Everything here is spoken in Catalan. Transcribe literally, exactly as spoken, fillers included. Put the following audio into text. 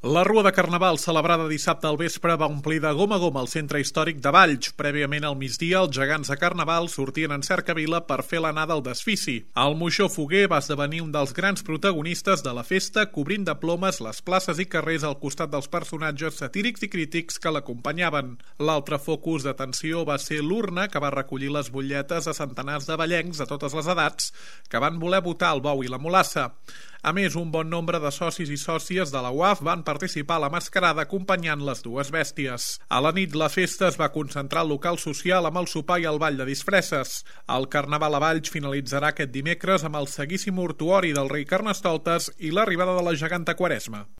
La Rua de Carnaval, celebrada dissabte al vespre, va omplir de gom a gom el centre històric de Valls. Prèviament al migdia, els gegants de Carnaval sortien en cercavila per fer l'anada al desfici. El moixó foguer va esdevenir un dels grans protagonistes de la festa, cobrint de plomes les places i carrers al costat dels personatges satírics i crítics que l'acompanyaven. L'altre focus d'atenció va ser l'urna, que va recollir les butlletes a centenars de vallencs de totes les edats que van voler votar el bou i la mulassa. A més, un bon nombre de socis i sòcies de la U A F van participar a la mascarada acompanyant les dues bèsties. A la nit, la festa es va concentrar al local social amb el sopar i el ball de disfresses. El Carnaval a Valls finalitzarà aquest dimecres amb el seguíssim mortuori del rei Carnestoltes i l'arribada de la geganta Quaresma.